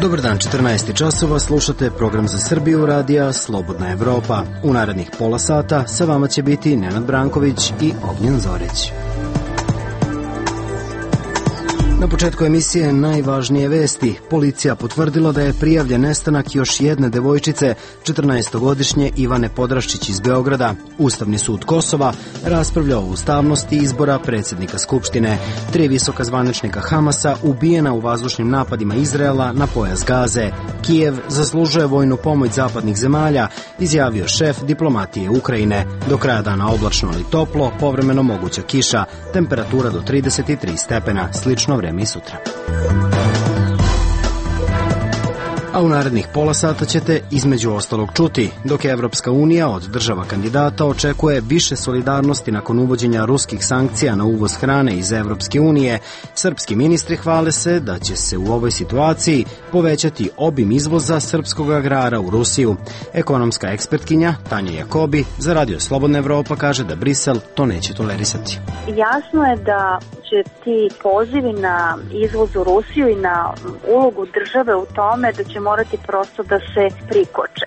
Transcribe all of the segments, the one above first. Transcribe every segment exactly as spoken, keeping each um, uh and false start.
Dobar dan, četrnaest časova, slušate program za Srbiju radija Slobodna Evropa. U narednih pola sata sa vama će biti Nenad Branković i Ognjen Zorić. Na početku emisije najvažnije vesti. Policija potvrdila da je prijavljen nestanak još jedne devojčice, četrnaestogodišnje Ivane Podraščić iz Beograda. Ustavni sud Kosova raspravljao o ustavnosti izbora predsjednika Skupštine. Tri visoka zvaničnika Hamasa ubijena u vazdušnim napadima Izraela na pojas Gaze. Kijev zaslužuje vojnu pomoć zapadnih zemalja, izjavio šef diplomatije Ukrajine. Do kraja dana oblačno ali toplo, povremeno moguća kiša, temperatura do trideset tri stepena, slično vreme i sutra. A u narednih pola sata ćete između ostalog čuti, dok je Evropska unija od država kandidata očekuje više solidarnosti nakon uvođenja ruskih sankcija na uvoz hrane iz Evropske unije, srpski ministri hvale se da će se u ovoj situaciji povećati obim izvoza srpskog agrara u Rusiju. Ekonomska ekspertkinja Tanja Jakobi za Radio Slobodna Evropa kaže da Brisel to neće tolerisati. Jasno je da će ti pozivi na izvoz u Rusiju i na ulogu države u tome da će morati prosto da se prikoče.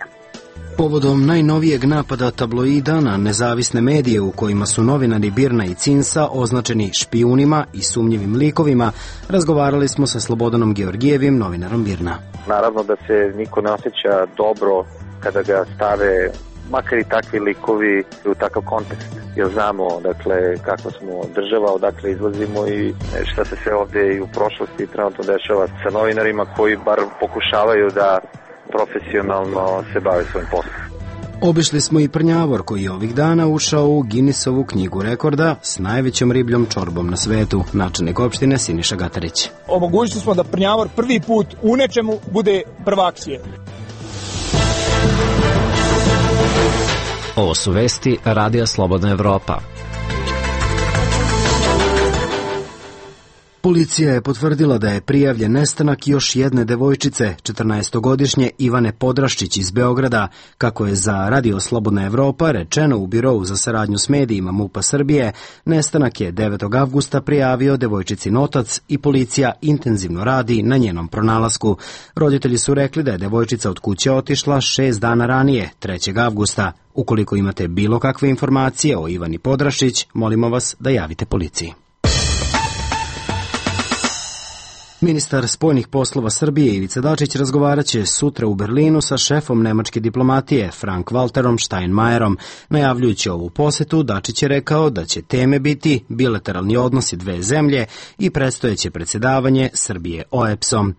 Povodom najnovijeg napada tabloida na nezavisne medije u kojima su novinari Birna i Cinsa označeni špijunima i sumnjivim likovima, razgovarali smo sa Slobodanom Georgijevim, novinarom Birna. Naravno da se niko ne osjeća dobro kada ga stave makar i takvi likovi u takav kontekst. Jer znamo, dakle, kakva smo država, odakle izlazimo i šta se sve ovdje i u prošlosti trenutno dešava sa novinarima koji bar pokušavaju da profesionalno se bave svojim poslom. Obišli smo i Prnjavor koji je ovih dana ušao u Guinnessovu knjigu rekorda s najvećom ribljom čorbom na svetu, načelnik opštine Siniša Gatarić. Omogućili smo da Prnjavor prvi put u nečemu bude prvak svijeta. Ovo su vesti Radija Slobodna Evropa. Policija je potvrdila da je prijavljen nestanak još jedne devojčice, četrnaestogodišnje Ivane Podraščić iz Beograda. Kako je za Radio Slobodna Evropa rečeno u Birovu za saradnju s medijima MUP-a Srbije, nestanak je devetog avgusta prijavio devojčicin otac i policija intenzivno radi na njenom pronalasku. Roditelji su rekli da je devojčica od kuće otišla šest dana ranije, trećeg avgusta. Ukoliko imate bilo kakve informacije o Ivani Podraščić, molimo vas da javite policiji. Ministar spoljnih poslova Srbije Ivica Dačić razgovarat će sutra u Berlinu sa šefom nemačke diplomatije Frank-Walterom Steinmeierom. Najavljujući ovu posetu, Dačić je rekao da će teme biti bilateralni odnosi dve zemlje i predstojeće predsjedavanje Srbije O E P S-om.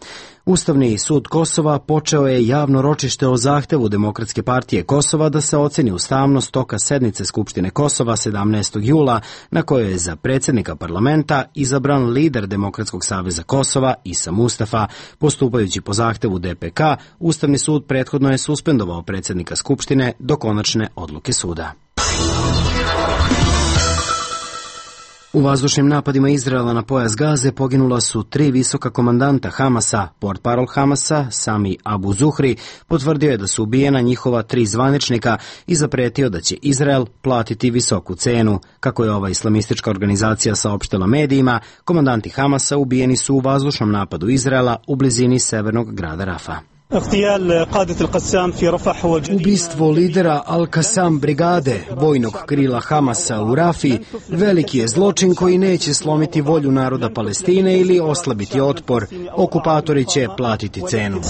Ustavni sud Kosova počeo je javno ročište o zahtevu Demokratske partije Kosova da se oceni ustavnost toka sednice Skupštine Kosova sedamnaestog jula, na kojoj je za predsjednika parlamenta izabran lider Demokratskog saveza Kosova Isa Mustafa. Postupajući po zahtevu D P K, Ustavni sud prethodno je suspendovao predsjednika Skupštine do konačne odluke suda. U vazdušnim napadima Izraela na pojas Gaze poginula su tri visoka komandanta Hamasa. Portparol Hamasa, Sami Abu Zuhri, potvrdio je da su ubijena njihova tri zvaničnika i zapretio da će Izrael platiti visoku cenu. Kako je ova islamistička organizacija saopštila medijima, komandanti Hamasa ubijeni su u vazdušnom napadu Izraela u blizini severnog grada Rafa. Ubistvo lidera Al-Qassam brigade, vojnog krila Hamasa u Rafi, veliki je zločin koji neće slomiti volju naroda Palestine ili oslabiti otpor. Okupatori će platiti cenu,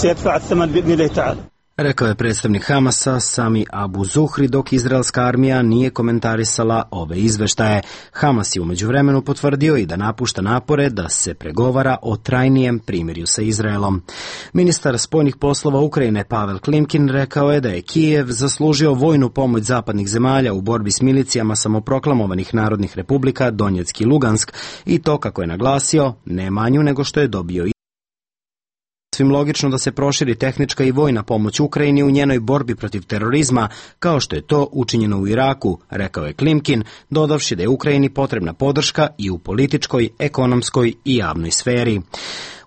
rekao je predstavnik Hamasa Sami Abu Zuhri, dok izraelska armija nije komentarisala ove izveštaje. Hamas je u međuvremenu potvrdio i da napušta napore da se pregovara o trajnijem primirju sa Izraelom. Ministar spoljnih poslova Ukrajine Pavel Klimkin rekao je da je Kijev zaslužio vojnu pomoć zapadnih zemalja u borbi s milicijama samoproklamovanih narodnih republika Donjeck i Lugansk i to, kako je naglasio, ne manju nego što je dobio svim logično da se proširi tehnička i vojna pomoć Ukrajini u njenoj borbi protiv terorizma, kao što je to učinjeno u Iraku, rekao je Klimkin, dodavši da je Ukrajini potrebna podrška i u političkoj, ekonomskoj i javnoj sferi.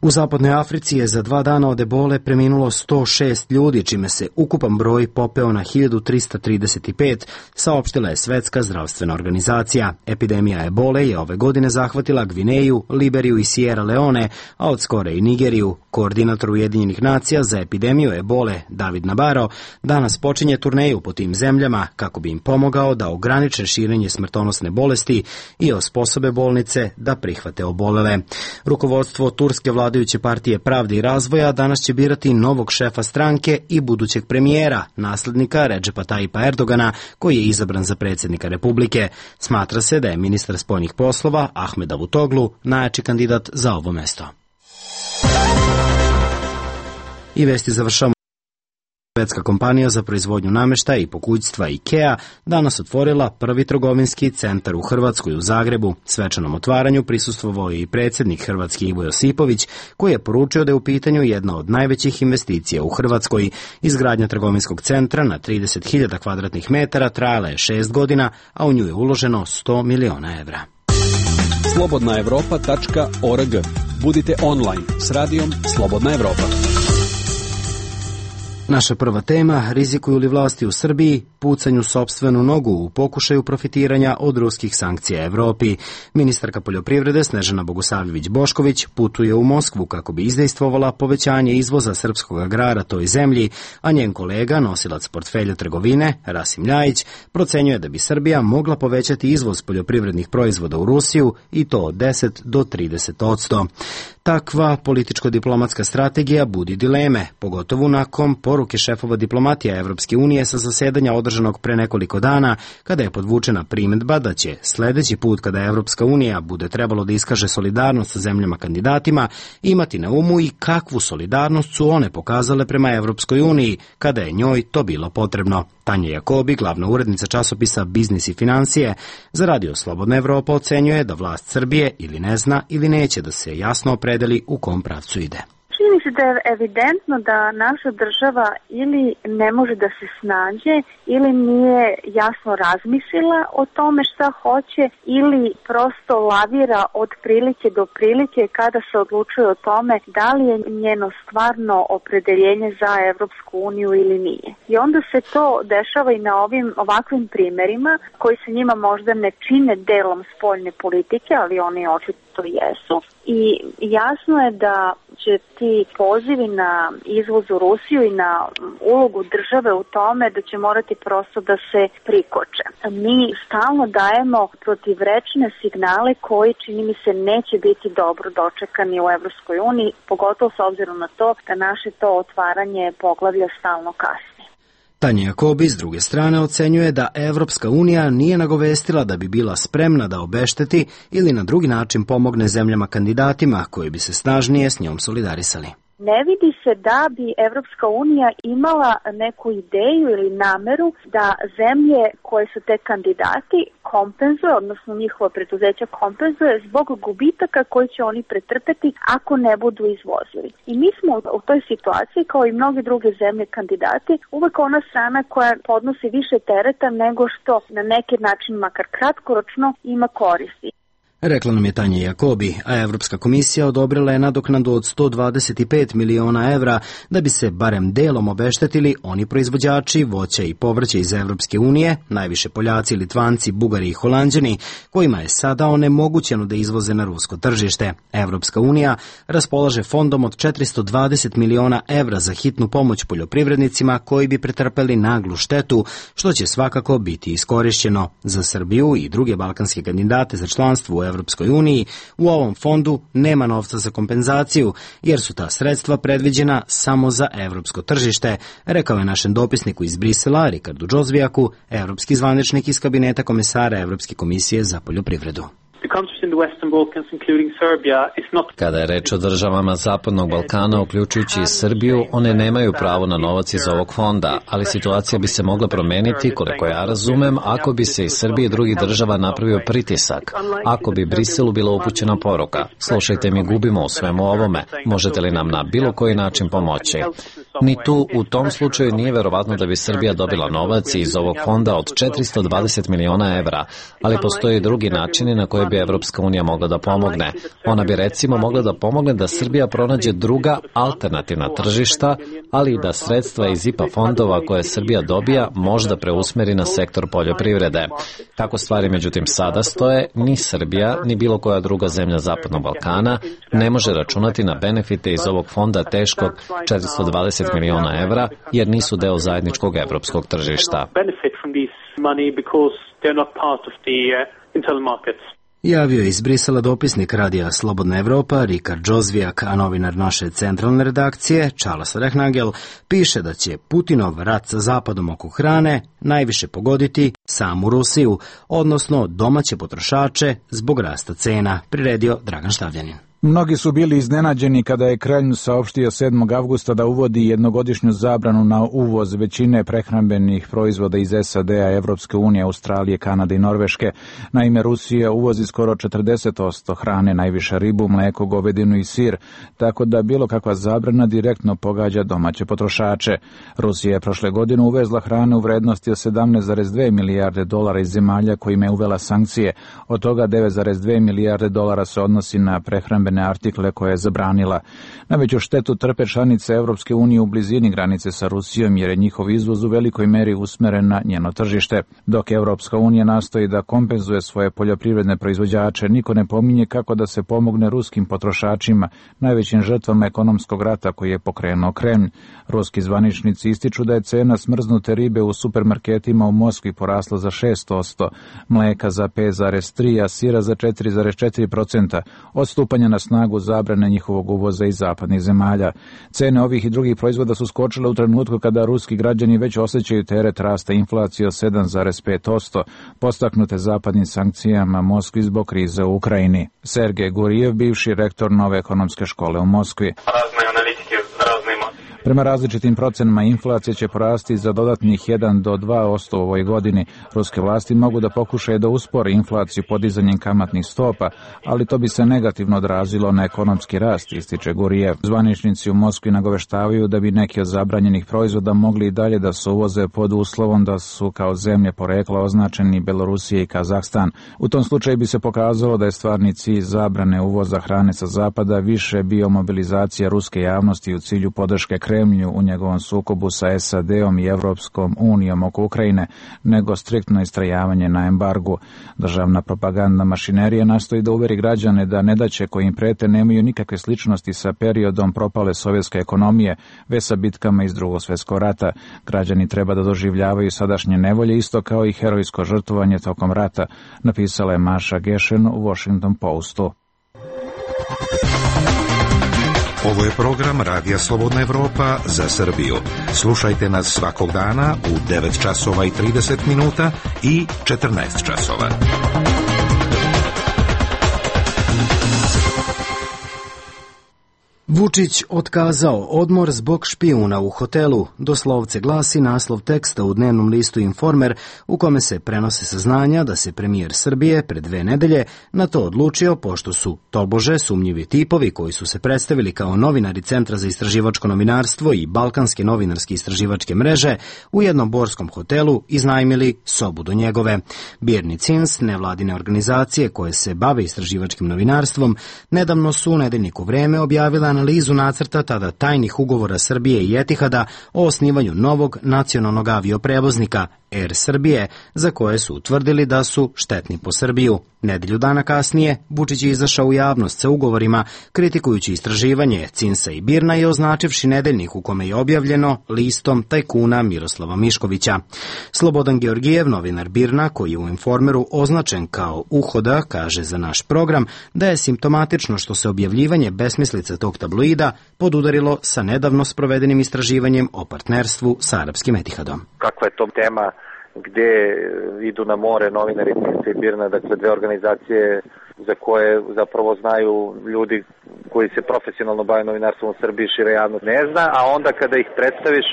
U zapadnoj Africi je za dva dana od ebole preminulo sto šest ljudi, čime se ukupan broj popeo na hiljadu trista trideset pet, saopštila je Svetska zdravstvena organizacija. Epidemija ebole je ove godine zahvatila Gvineju, Liberiju i Sierra Leone, a od skora i Nigeriju. Koordinator Ujedinjenih nacija za epidemiju ebole, David Nabarro, danas počinje turneju po tim zemljama kako bi im pomogao da ograniče širenje smrtonosne bolesti i osposobe bolnice da prihvate obolele. Rukovodstvo turske vladajuće partije Pravde i razvoja danas će birati novog šefa stranke i budućeg premijera, naslednika Redžepa Tajipa Erdogana, koji je izabran za predsjednika Republike. Smatra se da je ministar spoljnih poslova Ahmed Davutoglu najjači kandidat za ovo mesto. I vesti završamo. Švedska kompanija za proizvodnju namještaja i pokućstva IKEA danas otvorila prvi trgovinski centar u Hrvatskoj u Zagrebu. Svečanom otvaranju prisustvovao je i predsjednik Hrvatski Ivo Josipović, koji je poručio da je u pitanju jedna od najvećih investicija u Hrvatskoj. Izgradnja trgovinskog centra na trideset hiljada kvadratnih metara trajala je šest godina, a u nju je uloženo sto miliona evra. slobodna evropa tačka org. Budite online s radijom Slobodna Evropa. Naša prva tema, rizikuju li vlasti u Srbiji pucanju sopstvenu nogu u pokušaju profitiranja od ruskih sankcija Evropi. Ministarka poljoprivrede Snežana Bogosavljević-Bošković putuje u Moskvu kako bi izdejstvovala povećanje izvoza srpskog agrara toj zemlji, a njen kolega, nosilac portfelja trgovine, Rasim Ljajić, procenjuje da bi Srbija mogla povećati izvoz poljoprivrednih proizvoda u Rusiju i to od deset do trideset odsto. Takva političko-diplomatska strategija budi dileme, pogotovo nakon poruke šefova diplomatija Evropske unije sa zasedanja održanog pre nekoliko dana, kada je podvučena primedba da će sledeći put kada Evropska unija bude trebalo da iskaže solidarnost sa zemljama kandidatima, imati na umu i kakvu solidarnost su one pokazale prema Evropskoj uniji, kada je njoj to bilo potrebno. Tanja Jakobi, glavna urednica časopisa Biznis i financije, za Radio Slobodna Evropa ocenjuje da vlast Srbije ili ne zna ili neće da se jasno opredeli u kom pravcu ide. Čini mi se da je evidentno da naša država ili ne može da se snađe ili nije jasno razmislila o tome šta hoće ili prosto lavira od prilike do prilike kada se odlučuje o tome da li je njeno stvarno opredeljenje za Evropsku uniju ili nije. I onda se to dešava i na ovim ovakvim primerima koji se njima možda ne čine delom spoljne politike, ali oni očito jesu. I jasno je da će ti pozivi na izvoz u Rusiju i na ulogu države u tome da će morati prosto da se prikoče. Mi stalno dajemo protivrečne signale koji, čini mi se, neće biti dobro dočekani u Evropskoj uniji, pogotovo s obzirom na to da naše to otvaranje poglavlja stalno kasni. Tanja Jakobi s druge strane ocenjuje da Evropska unija nije nagovestila da bi bila spremna da obešteti ili na drugi način pomogne zemljama kandidatima koji bi se snažnije s njom solidarisali. Ne vidi se da bi Evropska unija imala neku ideju ili nameru da zemlje koje su te kandidati kompenzuje, odnosno njihova preduzeća kompenzuje zbog gubitaka koji će oni pretrpeti ako ne budu izvozili. I mi smo u toj situaciji, kao i mnoge druge zemlje kandidati, uvek ona strana koja podnosi više tereta nego što na neki način, makar kratkoročno, ima koristi. Rekla nam je Tanja Jakobi, a Evropska komisija odobrila je nadoknadu od sto dvadeset pet miliona evra da bi se barem delom obeštetili oni proizvođači voća i povrća iz Evropske unije, najviše Poljaci, Litvanci, Bugari i Holanđani, kojima je sada onemogućeno da izvoze na rusko tržište. Evropska unija raspolaže fondom od četiristo dvadeset miliona evra za hitnu pomoć poljoprivrednicima koji bi pretrpeli naglu štetu, što će svakako biti iskorišćeno. Za Srbiju i druge balkanske kandidate za članstvo u Evropskoj uniji u ovom fondu nema novca za kompenzaciju, jer su ta sredstva predviđena samo za evropsko tržište, rekao je našem dopisniku iz Brisela, Rikardu Džozvijaku, evropski zvaničnik iz kabineta komesara Evropske komisije za poljoprivredu. Kada je reč o državama Zapadnog Balkana, uključujući i Srbiju, one nemaju pravo na novac iz ovog fonda, ali situacija bi se mogla promeniti, koliko ja razumem, ako bi se iz Srbije i drugih država napravio pritisak, ako bi Briselu bila upućena poruka. Slušajte, mi gubimo u svemu ovome, možete li nam na bilo koji način pomoći? Ni tu u tom slučaju nije verovatno da bi Srbija dobila novac iz ovog fonda od četiristo dvadeset miliona evra, ali postoje drugi načini na koje bi Evropska unija mogla da pomogne. Ona bi recimo mogla da pomogne da Srbija pronađe druga alternativna tržišta, ali i da sredstva iz I P A fondova koje Srbija dobija možda preusmeri na sektor poljoprivrede. Kako stvari međutim sada stoje, ni Srbija, ni bilo koja druga zemlja Zapadnog Balkana ne može računati na benefite iz ovog fonda teškog četiristo dvadeset miliona evra, jer nisu deo zajedničkog evropskog tržišta. Javio je iz Brisela dopisnik Radija Slobodna Evropa Rikard Džozvijak, a novinar naše centralne redakcije Charles Rehnagel piše da će Putinov rat sa Zapadom oko hrane najviše pogoditi samu Rusiju, odnosno domaće potrošače zbog rasta cena, priredio Dragan Štavljanin. Mnogi su bili iznenađeni kada je Kremlj saopštio sedmog avgusta da uvodi jednogodišnju zabranu na uvoz većine prehrambenih proizvoda iz S A D-a, Evropske unije, Australije, Kanade i Norveške. Naime, Rusija uvozi skoro četrdeset posto hrane, najviše ribu, mleko, govedinu i sir, tako da bilo kakva zabrana direktno pogađa domaće potrošače. Rusija je prošle godine uvezla hrane u vrednosti od sedamnaest zarez dve milijarde dolara iz zemalja kojima je uvela sankcije. Od toga devet zarez dve milijarde dolara se odnosi na prehrambene artikle koje je zabranila. Najveću štetu trpe članice Evropske unije u blizini granice sa Rusijom, jer je njihov izvoz u velikoj meri usmeren na njeno tržište. Dok Evropska unija nastoji da kompenzuje svoje poljoprivredne proizvođače, niko ne pominje kako da se pomogne ruskim potrošačima, najvećim žrtvama ekonomskog rata koji je pokrenuo Kremlj. Ruski zvaničnici ističu da je cena smrznute ribe u supermarketima u Moskvi porasla za šest posto, mleka za pet zarez tri, a sira za četiri zarez četiri posto, od stupanja na snagu zabrane njihovog uvoza iz zapadnih zemalja. Cene ovih i drugih proizvoda su skočile u trenutku kada ruski građani već osjećaju teret rasta inflacije od sedam zarez pet posto, postaknute zapadnim sankcijama Moskvi zbog krize u Ukrajini. Sergej Gurijev, bivši rektor Nove ekonomske škole u Moskvi. Prema različitim procenama inflacija će porasti za dodatnih jedan do dva posto u ovoj godini. Ruske vlasti mogu da pokušaju da uspore inflaciju podizanjem kamatnih stopa, ali to bi se negativno odrazilo na ekonomski rast, ističe Gurijev. Zvaničnici u Moskvi nagoveštavaju da bi neki od zabranjenih proizvoda mogli i dalje da se uvoze pod uslovom da su kao zemlje porekla označeni Belorusija i Kazahstan. U tom slučaju bi se pokazalo da je stvarni cilj zabrane uvoza hrane sa zapada više bio mobilizacija ruske javnosti u cilju podrške Kremlju u njegovom sukobu sa S A D-om i Evropskom unijom oko Ukrajine, nego striktno istrajavanje na embargu. Državna propagandna mašinerija nastoji da uveri građane da nedaće koje im prete nemaju nikakve sličnosti sa periodom propale sovjetske ekonomije, već sa bitkama iz Drugog svjetskog rata. Građani treba da doživljavaju sadašnje nevolje isto kao i herojsko žrtvovanje tokom rata, napisala je Maša Gešen u Washington Postu. Ovo je program Radija Slobodna Evropa za Srbiju. Slušajte nas svakog dana u devet časova i trideset minuta i četrnaest časova. Vučić otkazao odmor zbog špijuna u hotelu, doslovce glasi naslov teksta u dnevnom listu Informer, u kome se prenose saznanja da se premijer Srbije pred dve nedelje na to odlučio pošto su tobože sumnjivi tipovi koji su se predstavili kao novinari Centra za istraživačko novinarstvo i Balkanske novinarske istraživačke mreže u jednom borskom hotelu iznajmili sobu do njegove. Birni Cins, nevladine organizacije koje se bave istraživačkim novinarstvom, nedavno su u nedeljniku Vreme objavila analizu nacrta tada tajnih ugovora Srbije i Etihada o osnivanju novog nacionalnog avioprevoznika Air Srbije, za koje su utvrdili da su štetni po Srbiju. Nedelju dana kasnije, Vučić je izašao u javnost sa ugovorima, kritikujući istraživanje Cinsa i Birna i označivši nedeljnik u kome je objavljeno listom tajkuna Miroslava Miškovića. Slobodan Georgijev, novinar Birna, koji je u Informeru označen kao uhoda, kaže za naš program da je simptomatično što se objavljivanje besmislica tog tabloida podudarilo sa nedavno sprovedenim istraživanjem o partnerstvu sa arapskim Etihadom. Kakva je to tema gde idu na more novinari Cinsa i Birna, dakle dve organizacije za koje zapravo znaju ljudi koji se profesionalno bave novinarstvom u Srbiji, šira javnost ne zna, a onda kada ih predstaviš,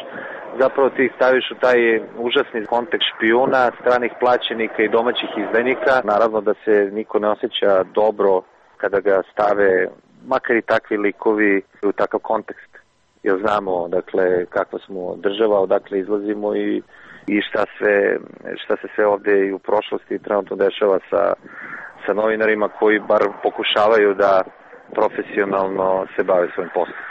zapravo ti ih staviš u taj užasni kontekst špijuna, stranih plaćenika i domaćih izdajnika. Naravno da se niko ne osjeća dobro kada ga stave, makar i takvi likovi, u takav kontekst. jer znamo dakle kakva smo država, odakle izlazimo i, i šta, sve, šta se sve ovde i u prošlosti trenutno dešava sa, sa novinarima koji bar pokušavaju da profesionalno se bave svojim poslom.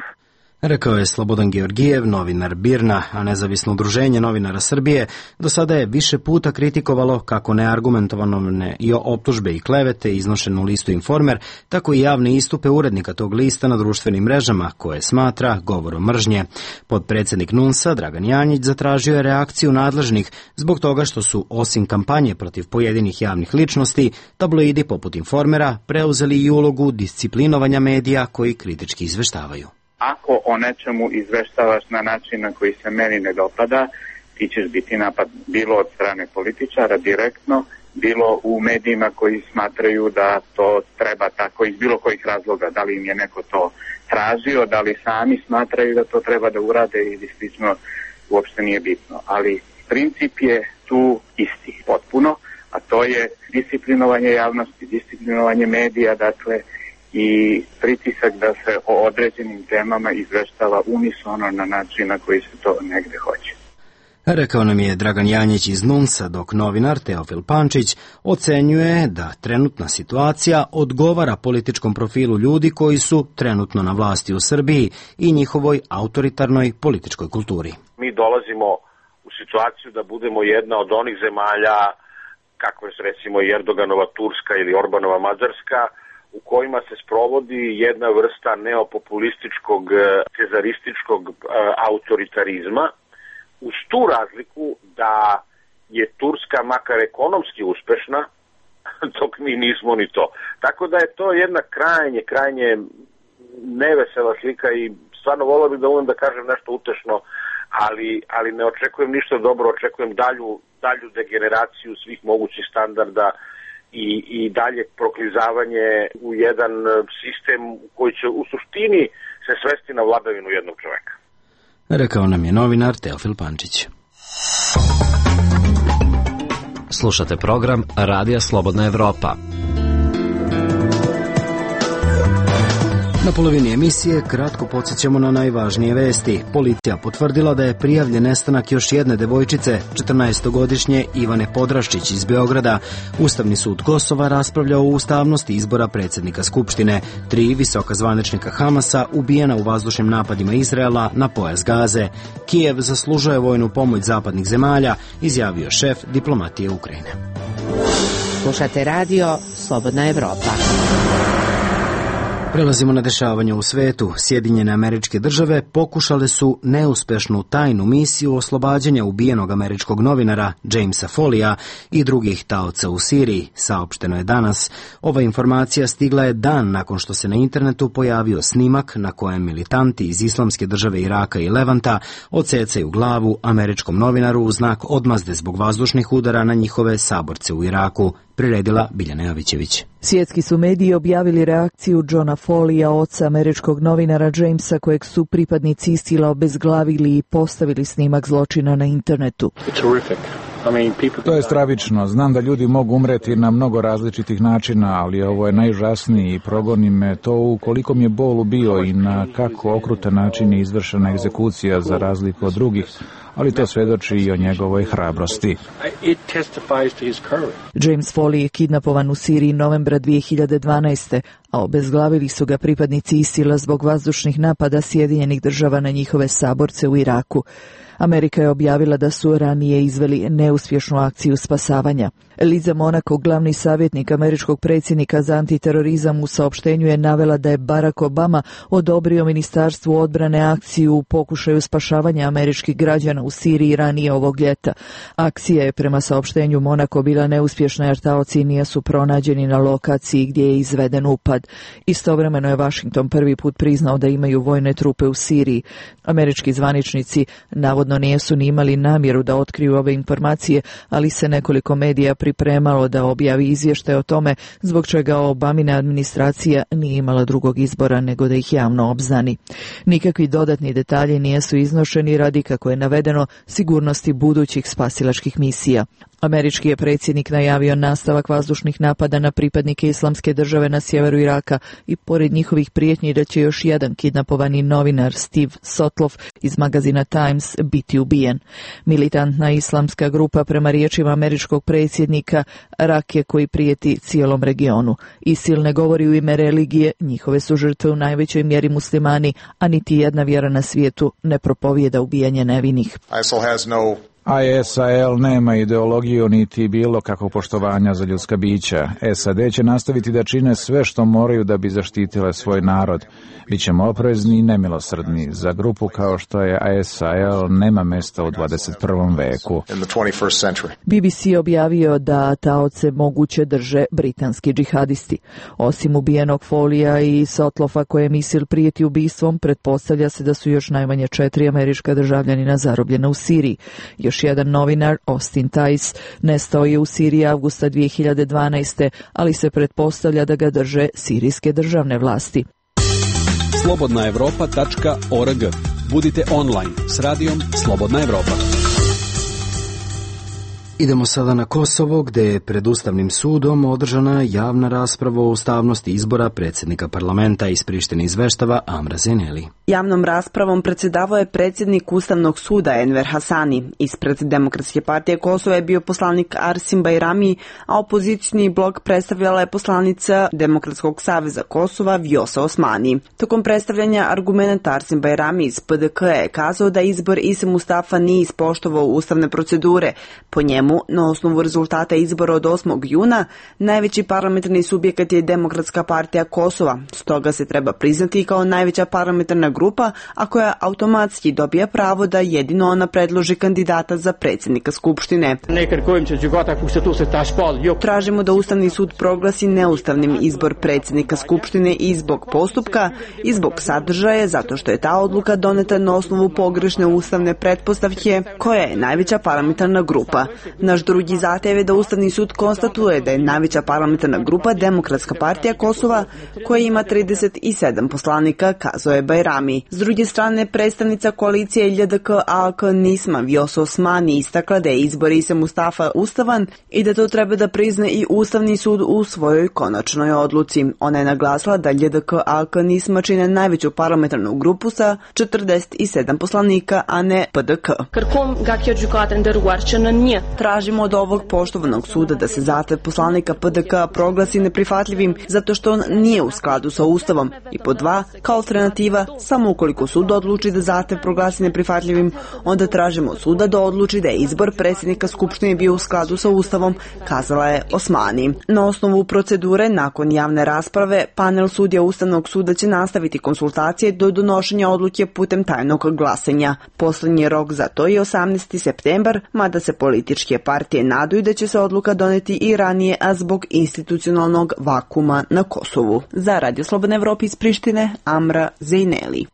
Rekao je Slobodan Georgijev, novinar BIRN-a, a nezavisno udruženje novinara Srbije do sada je više puta kritikovalo kako neargumentovane i optužbe i klevete iznošene u listu Informer, tako i javne istupe urednika tog lista na društvenim mrežama, koje smatra govorom mržnje. Podpredsednik NUNS-a, Dragan Janjić, zatražio je reakciju nadležnih zbog toga što su, osim kampanje protiv pojedinih javnih ličnosti, tabloidi poput Informera preuzeli i ulogu disciplinovanja medija koji kritički izveštavaju. Ako o nečemu izveštavaš na način na koji se meni ne dopada, ti ćeš biti napad bilo od strane političara direktno, bilo u medijima koji smatraju da to treba tako iz bilo kojih razloga, da li im je neko to tražio, da li sami smatraju da to treba da urade ili slično, uopšte nije bitno. Ali princip je tu isti, potpuno, a to je disciplinovanje javnosti, disciplinovanje medija, dakle, i pritisak da se o određenim temama izveštava unisono na način na koji se to negde hoće. Rekao nam je Dragan Janjić iz NUNS-a, dok novinar Teofil Pančić ocenjuje da trenutna situacija odgovara političkom profilu ljudi koji su trenutno na vlasti u Srbiji i njihovoj autoritarnoj političkoj kulturi. Mi dolazimo u situaciju da budemo jedna od onih zemalja, kako je recimo Erdoganova Turska ili Orbanova Mađarska, u kojima se sprovodi jedna vrsta neopopulističkog, cezarističkog autoritarizma, uz tu razliku da je Turska makar ekonomski uspešna, dok mi nismo ni to. Tako da je to jedna krajnje, krajnje nevesela slika i stvarno volio bih da umem da kažem nešto utešno, ali, ali ne očekujem ništa dobro, očekujem dalju, dalju degeneraciju svih mogućih standarda I, i dalje proklizavanje u jedan sistem koji će u suštini se svesti na vladavinu jednog čoveka. Rekao nam je novinar Teofil Pančić. Slušate program Radija Slobodna Evropa. Na polovini emisije kratko podsjećamo na najvažnije vesti. Policija potvrdila da je prijavljen nestanak još jedne devojčice, četrnaestogodišnje Ivane Podraščić iz Beograda. Ustavni sud Kosova raspravlja o ustavnosti izbora predsjednika Skupštine. Tri visoka zvaničnika Hamasa ubijena u vazdušnim napadima Izraela na pojas Gaze. Kijev zaslužuje vojnu pomoć zapadnih zemalja, izjavio šef diplomatije Ukrajine. Slušate radio Slobodna Evropa. Prelazimo na dešavanje u svetu. Sjedinjene Američke Države pokušale su neuspešnu tajnu misiju oslobađanja ubijenog američkog novinara Jamesa Folleya i drugih taoca u Siriji, saopšteno je danas. Ova informacija stigla je dan nakon što se na internetu pojavio snimak na kojem militanti iz Islamske države Iraka i Levanta odsecaju glavu američkom novinaru u znak odmazde zbog vazdušnih udara na njihove saborce u Iraku, priredila Biljana Jovićević. Svjetski su mediji objavili reakciju Johna Folleya, oca američkog novinara Jamesa, kojeg su pripadnici ISIL-a obezglavili i postavili snimak zločina na internetu. To je stravično. Znam da ljudi mogu umreti na mnogo različitih načina, ali ovo je najužasniji i progoni me to u koliko mi je bolu bio i na kako okrutan način je izvršena egzekucija za razliku od drugih, ali to svedoči i o njegovoj hrabrosti. James Foley je kidnapovan u Siriji novembra dvije hiljade dvanaeste. a obezglavili su ga pripadnici ISIL-a zbog vazdušnih napada Sjedinjenih država na njihove saborce u Iraku. Amerika je objavila da su ranije izveli neuspješnu akciju spasavanja. Liza Monaco, glavni savjetnik američkog predsjednika za antiterorizam, u saopštenju je navela da je Barack Obama odobrio Ministarstvu odbrane akciju u pokušaju spašavanja američkih građana u Siriji ranije ovog ljeta. Akcija je prema saopštenju Monaco bila neuspješna jer taoci nisu pronađeni na lokaciji gdje je izveden upad. Istovremeno je Washington prvi put priznao da imaju vojne trupe u Siriji. Američki zvaničnici navodno nisu ni imali namjeru da otkriju ove informacije, ali se nekoliko medija pripremalo da objavi izvještaj o tome, zbog čega Obamina administracija nije imala drugog izbora nego da ih javno obznani. Nikakvi dodatni detalji nisu iznošeni radi, kako je navedeno, sigurnosti budućih spasilačkih misija. Američki je predsjednik najavio nastavak vazdušnih napada na pripadnike Islamske države na sjeveru Iraka i pored njihovih prijetnji da će još jedan kidnapovani novinar Steve Sotloff iz magazina Times biti ubijen. Militantna islamska grupa prema riječima američkog predsjednika rak je koji prijeti cijelom regionu. ISIL ne govori u ime religije, njihove su žrtve u najvećoj mjeri muslimani, a niti jedna vjera na svijetu ne propovijeda ubijanje nevinih. I S I L nema ideologiju niti bilo kakvog poštovanja za ljudska bića. S A D će nastaviti da čine sve što moraju da bi zaštitile svoj narod. Bićemo oprezni i nemilosrdni. Za grupu kao što je I S I L nema mjesta u dvadeset prvom veku. B B C objavio da taoce moguće drže britanski džihadisti. Osim ubijenog Folija i Sotlofa kojem ISIL prijeti ubistvom, pretpostavlja se da su još najmanje četiri američka državljanina zarobljena u Siriji. Još jedan novinar, Austin Tice, nestao je u Siriji avgusta dvije hiljade dvanaeste. ali se pretpostavlja da ga drže sirijske državne vlasti. slobodna evropa tačka org. Budite online s radijom Slobodna Evropa. Idemo sada na Kosovo, gde je pred Ustavnim sudom održana javna rasprava o ustavnosti izbora predsjednika parlamenta. Iz Prištine izveštava Amra Zeneli. Javnom raspravom predsjedavao je predsjednik Ustavnog suda Enver Hasani. Ispred Demokratske partije Kosova je bio poslanik Arsim Bajrami, a opozicijni blok predstavljala je poslanica Demokratskog saveza Kosova Vjosa Osmani. Tokom predstavljanja argumenta Arsim Bajrami iz P D K je kazao da izbor Ise Mustafa nije ispoštovao ustavne procedure. Po njemu, na osnovu rezultata izbora od osmog juna, najveći parlamentarni subjekat je Demokratska partija Kosova, stoga se treba priznati kao najveća parlamentarna grupa, a koja automatski dobija pravo da jedino ona predloži kandidata za predsjednika Skupštine. Tražimo da Ustavni sud proglasi neustavnim izbor predsjednika Skupštine i zbog postupka i zbog sadržaja, zato što je ta odluka doneta na osnovu pogrešne ustavne pretpostavke, koja je najveća parlamentarna grupa. Naš drugi zahtjev je da Ustavni sud konstatuje da je najveća parlamentarna grupa Demokratska partija Kosova, koja ima trideset sedam poslanika, kazao je Bajrami. S druge strane, predstavnica koalicije L D K A K Nisma Vjosa Osmani istakla da je izbor Ise Mustafa ustavan i da to treba da prizna i Ustavni sud u svojoj konačnoj odluci. Ona je naglasila da L D K A K Nisma čine najveću parlamentarnu grupu sa četrdeset sedam poslanika, a ne P D K. Tražimo od ovog poštovanog suda da se zahtev poslanika P D K proglasi neprihvatljivim zato što on nije u skladu sa Ustavom. I po dva, kao alternativa, samo ukoliko sud odluči da zahtev proglasi neprihvatljivim, onda tražimo od suda da odluči da je izbor predsjednika Skupštine bio u skladu sa Ustavom, kazala je Osmani. Na osnovu procedure, nakon javne rasprave, panel sudija Ustavnog suda će nastaviti konsultacije do donošenja odluke putem tajnog glasanja. Poslednji rok za to je osamnaesti septembar, mada se političke partije nadaju da će se odluka doneti i ranije, a zbog institucionalnog vakuma na Kosovu. Za Radio Slobodna Evropa iz Prištine, Amra Zejneli.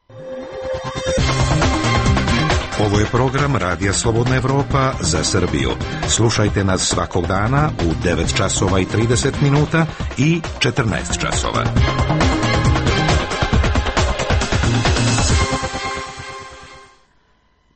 Ovo je program Radija Slobodna Evropa za Srbiju. Slušajte nas svakog dana u devet časova i trideset minuta i četrnaest časova.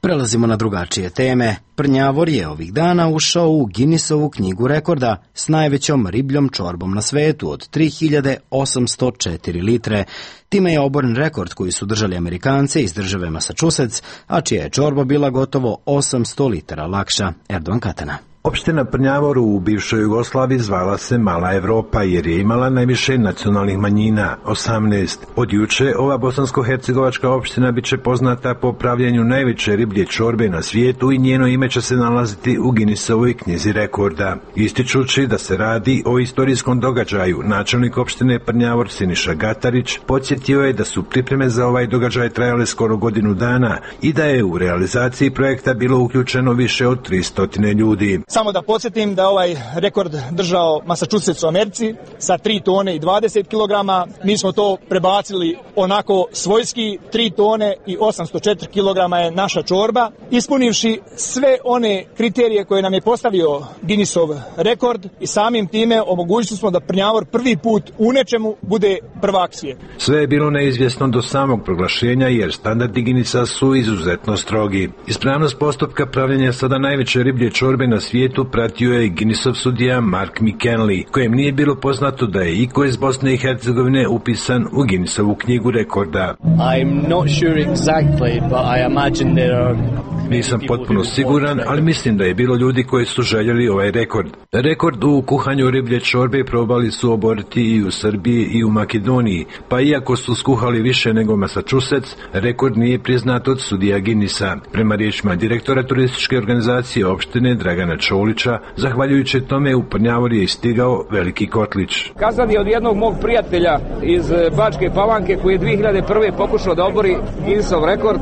Prelazimo na drugačije teme. Prnjavor je ovih dana ušao u Guinnessovu knjigu rekorda s najvećom ribljom čorbom na svetu od tri hiljade osamsto četiri litre. Time je oboren rekord koji su držali Amerikanci iz države Massachusetts, a čija je čorba bila gotovo osamsto litara lakša. Erdogan Katana. Opština Prnjavor u bivšoj Jugoslaviji zvala se Mala Evropa jer je imala najviše nacionalnih manjina, osamnaest. Od juče ova bosansko-hercegovačka opština biće poznata po pravljenju najveće riblje čorbe na svijetu i njeno ime će se nalaziti u Guinnessovoj knjizi rekorda. Ističući da se radi o istorijskom događaju, načelnik opštine Prnjavor Siniša Gatarić podsjetio je da su pripreme za ovaj događaj trajale skoro godinu dana i da je u realizaciji projekta bilo uključeno više od tristo ljudi. Samo da podsjetim da ovaj rekord držao Massachusetts u Americi sa tri tone i dvadeset kilograma. Mi smo to prebacili onako svojski, tri tone i osamsto četiri kilograma je naša čorba. Ispunivši sve one kriterije koje nam je postavio Guinnessov rekord i samim time omogućili smo da Prnjavor prvi put u nečemu bude prvak svijeta. Sve je bilo neizvjesno do samog proglašenja jer standardi Guinnessa su izuzetno strogi. Ispravnost postupka pravljenja sada najveće riblje čorbe na svijetu svijetu pratio je Guinnessov sudija Mark McKinley, kojem nije bilo poznato da je iko iz Bosne i Hercegovine upisan u Guinnessovu knjigu rekorda. I'm not sure exactly, but I imagine there are... Nisam potpuno siguran, ali mislim da je bilo ljudi koji su željeli ovaj rekord. Rekord u kuhanju riblje čorbe probali su oboriti i u Srbiji i u Makedoniji, pa iako su skuhali više nego Massachusetts, rekord nije priznat od sudija Guinnessa. Prema riječima direktora turističke organizacije opštine Dragana Čolića, zahvaljujući tome u Prnjavor je stigao veliki kotlić. Kazan je od jednog mog prijatelja iz Bačke Palanke koji je dvije hiljade prve pokušao da obori Guinnessov rekord,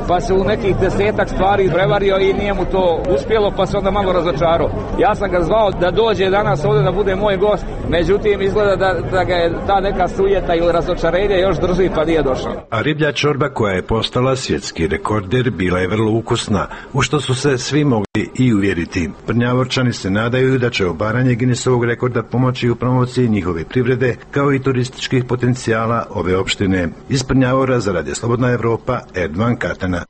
pa se u nekih desetak stvari prevario i nije mu to uspjelo, pa se onda malo razočarao. Ja sam ga zvao da dođe danas ovdje da bude moj gost, međutim izgleda da, da ga je ta neka sujeta ili razočarenje još drži pa nije došao. A riblja čorba koja je postala svjetski rekorder bila je vrlo ukusna, u što su se svi mogli i uvjeriti. Prnjavorčani se nadaju da će obaranje Guinnessovog rekorda pomoći u promociji njihove privrede kao i turističkih potencijala ove opštine. Iz Prnjavora za Radio Slobodna Evropa, Erdovan Katana.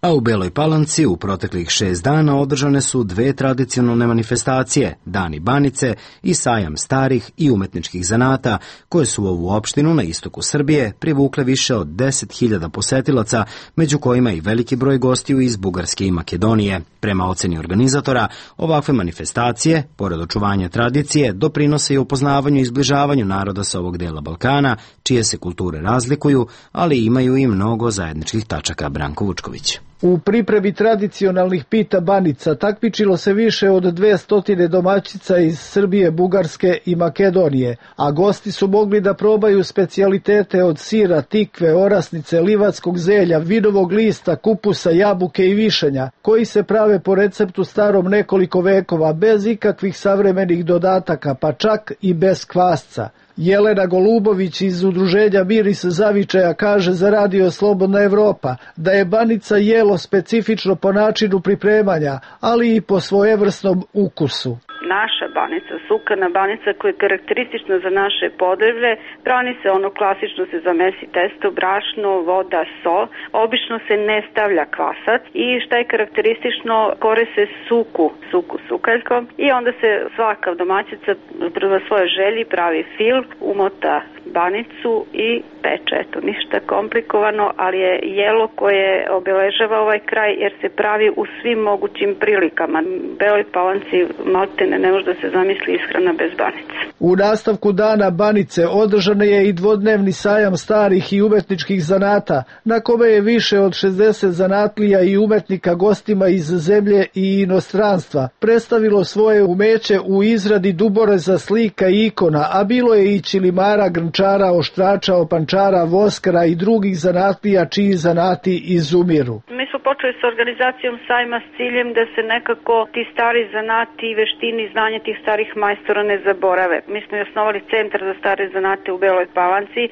A u Beloj Palanci u proteklih šest dana održane su dve tradicionalne manifestacije, Dani Banice i Sajam starih i umetničkih zanata, koje su u ovu opštinu na istoku Srbije privukle više od deset hiljada posetilaca, među kojima i veliki broj gostiju iz Bugarske i Makedonije. Prema oceni organizatora, ovakve manifestacije, pored očuvanja tradicije, doprinose i upoznavanju i zbližavanju naroda sa ovog dela Balkana, čije se kulture razlikuju, ali imaju i mnogo zajedničkih tačaka. Branko Vučković. U pripremi tradicionalnih pita banica takmičilo se više od dvesta domaćica iz Srbije, Bugarske i Makedonije, a gosti su mogli da probaju specijalitete od sira, tikve, orasnice, livatskog zelja, vinovog lista, kupusa, jabuke i višanja, koji se prave po receptu starom nekoliko vekova, bez ikakvih savremenih dodataka, pa čak i bez kvasca. Jelena Golubović iz udruženja Miris Zavičaja kaže za Radio Slobodna Evropa da je banica jelo specifično po načinu pripremanja, ali i po svojevrsnom ukusu. Naša banica, sukana banica koja je karakteristična za naše podneblje, brani se ono klasično, se zamesi testo, brašno, voda, sol, obično se ne stavlja kvasac i šta je karakteristično, kore se suku, suku sukaljkom i onda se svaka domaćica prema svojoj želji pravi fil, umota banicu i peče. Eto, ništa komplikovano, ali je jelo koje obeležava ovaj kraj jer se pravi u svim mogućim prilikama. Beloj Palanci maltene ne može da se zamisli ishrana bez banice. U nastavku dana banice održan je i dvodnevni sajam starih i umetničkih zanata, na kome je više od šezdeset zanatlija i umetnika gostima iz zemlje i inostranstva predstavilo svoje umeće u izradi duboreza, slika i ikona, a bilo je i čilimara, grnčara, oštrača, opančara, voskara i drugih zanatlija čiji zanati izumiru. Mi smo počeli s organizacijom sajma s ciljem da se nekako ti stari zanati i veštini i znanje tih starih majstora ne zaborave. Mi smo i osnovali centar za stare zanate u Beloj Palanci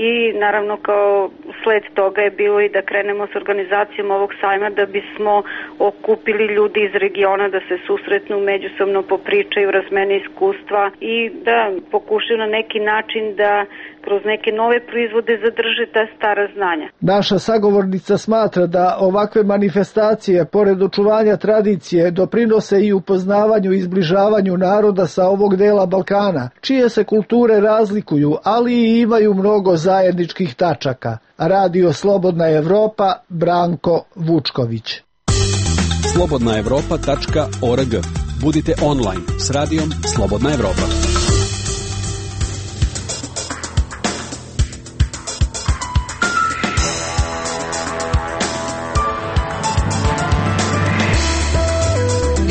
i naravno kao sled toga je bilo i da krenemo s organizacijom ovog sajma da bismo okupili ljudi iz regiona da se susretnu, međusobno popričaju, razmene iskustva i da pokušaju na neki način da kroz neke nove proizvode zadrže ta stara znanja. Naša sagovornica smatra da ovakve manifestacije, pored očuvanja tradicije, doprinose i upoznavanju i zbližavanju naroda sa ovog dela Balkana, čije se kulture razlikuju, ali i imaju mnogo zajedničkih tačaka. Radio Slobodna Evropa, Branko Vučković. slobodna evropa tačka org. Budite online s radijom Slobodna Evropa.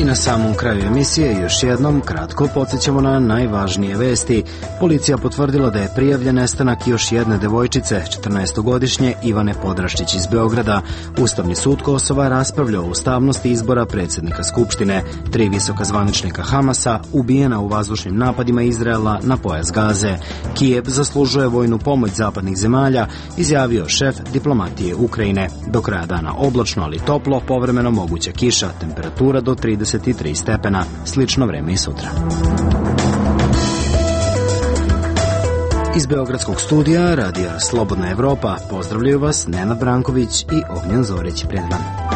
I na samom kraju emisije još jednom kratko podsjećamo na najvažnije vesti. Policija potvrdila da je prijavljen nestanak još jedne devojčice, četrnaestogodišnje Ivane Podraščić iz Beograda. Ustavni sud Kosova raspravljao o ustavnosti izbora predsjednika Skupštine. Tri visoka zvaničnika Hamasa ubijena u vazdušnim napadima Izraela na pojas Gaze. Kijev zaslužuje vojnu pomoć zapadnih zemalja, izjavio šef diplomatije Ukrajine. Do kraja dana oblačno, ali toplo, povremeno moguća kiša, temperatura do trideset tri stepena, slično vreme i sutra. Iz Beogradskog studija Radija Slobodna Evropa pozdravljaju vas Nenad Branković i Ognjen Zorić. Prijatno.